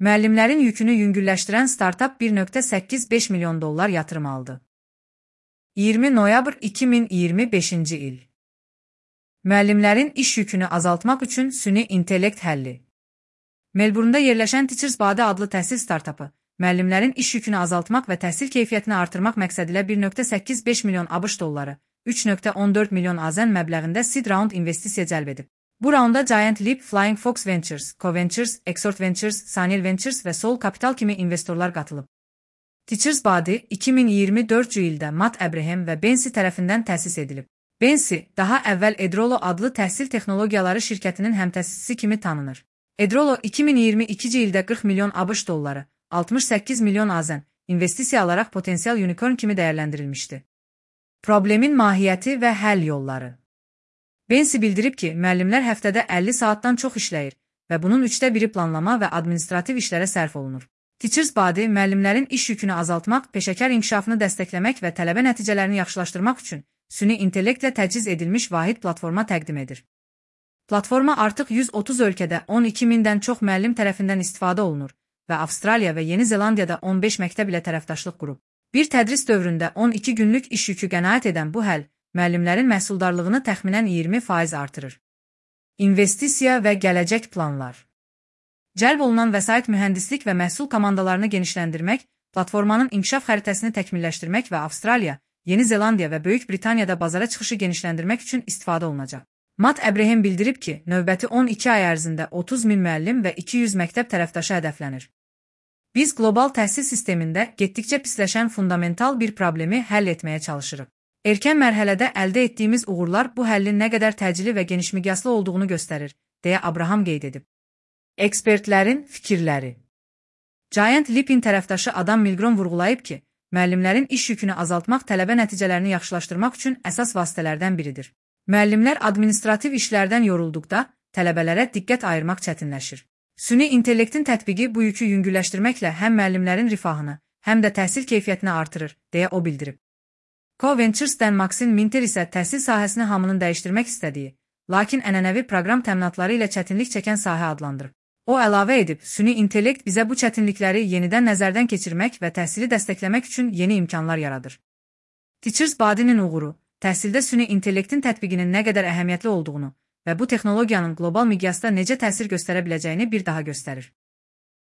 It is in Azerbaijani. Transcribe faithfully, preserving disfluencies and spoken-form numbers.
Müəllimlərin yükünü yüngülləşdirən startap bir nöqtə səkkiz beş milyon dollar yatırım aldı. iyirmi noyabr iki min iyirmi beşinci il. Müəllimlərin iş yükünü azaltmaq üçün süni intellekt həlli. Melbourne'da yerləşən Teachers Body adlı təhsil startapı, müəllimlərin iş yükünü azaltmaq və təhsil keyfiyyətini artırmaq məqsədilə bir nöqtə səkkiz beş milyon ABŞ dolları, üç nöqtə on dörd milyon AZN məbləğində seed round investisiya cəlb edib. Bu raunda Giant Leap, Flying Fox Ventures, CoVentures, Exort Ventures, Sanil Ventures və Soul Capital kimi investorlar qatılıb. Teachers Body iki min iyirmi dördüncü ildə Matt Abraham və Bensi tərəfindən təsis edilib. Bensi, daha əvvəl Edrolo adlı təhsil texnologiyaları şirkətinin həmtəsisçisi kimi tanınır. Edrolo iki min iyirmi ikinci ildə qırx milyon ABŞ dolları, altmış səkkiz milyon AZN investisiya alaraq potensial unicorn kimi dəyərləndirilmişdi. Problemin mahiyyəti və həll yolları. Bensi bildirib ki, müəllimlər həftədə əlli saatdan çox işləyir və bunun üçdə biri planlama və administrativ işlərə sərf olunur. Teachers Body müəllimlərin iş yükünü azaltmaq, peşəkar inkişafını dəstəkləmək və tələbə nəticələrini yaxşılaşdırmaq üçün süni intellektlə təchiz edilmiş vahid platforma təqdim edir. Platforma artıq yüz otuz ölkədə on iki mindən çox müəllim tərəfindən istifadə olunur və Avstraliya və Yeni Zelandiyada on beş məktəb ilə tərəfdaşlıq qurub. Bir tədris dövründə on iki günlük iş yükü qənaət edən bu həll, müəllimlərin məhsuldarlığını təxminən iyirmi faiz artırır. İnvestisiya və gələcək planlar. Cəlb olunan vəsait mühəndislik və məhsul komandalarını genişləndirmək, platformanın inkişaf xəritəsini təkmilləşdirmək və Avstraliya, Yeni Zelandiya və Böyük Britaniyada bazara çıxışı genişləndirmək üçün istifadə olunacaq. Matt Abraham bildirib ki, növbəti on iki ay ərzində otuz min müəllim və iki yüz məktəb tərəfdaşı hədəflənir. Biz qlobal təhsil sistemində getdikcə pisləşən fundamental bir problemi həll etməyə çalışırıq. Erkən mərhələdə əldə etdiyimiz uğurlar bu həllin nə qədər təcili və genişmiqyaslı olduğunu göstərir, deyə Abraham qeyd edib. Ekspertlərin fikirləri. Giant Leap'in tərəfdaşı Adam Milgrom vurğulayıb ki, müəllimlərin iş yükünü azaltmaq tələbə nəticələrini yaxşılaşdırmaq üçün əsas vasitələrdən biridir. Müəllimlər administrativ işlərdən yorulduqda, tələbələrə diqqət ayırmaq çətinləşir. Süni intellektin tətbiqi bu yükü yüngülləşdirməklə həm müəllimlərin rifahını, həm də təhsil keyfiyyətini artırır, deyə o bildirib. CoVentures'dən Maxine Minter isə təhsil sahəsini hamının dəyişdirmək istədiyi, lakin ənənəvi proqram təminatları ilə çətinlik çəkən sahə adlandırıb. O əlavə edib, süni intellekt bizə bu çətinlikləri yenidən nəzərdən keçirmək və təhsili dəstəkləmək üçün yeni imkanlar yaradır. Teachers Body'nin uğuru, təhsildə süni intellektin tətbiqinin nə qədər əhəmiyyətli olduğunu və bu texnologiyanın qlobal miqyasda necə təsir göstərə biləcəyini bir daha göstərir.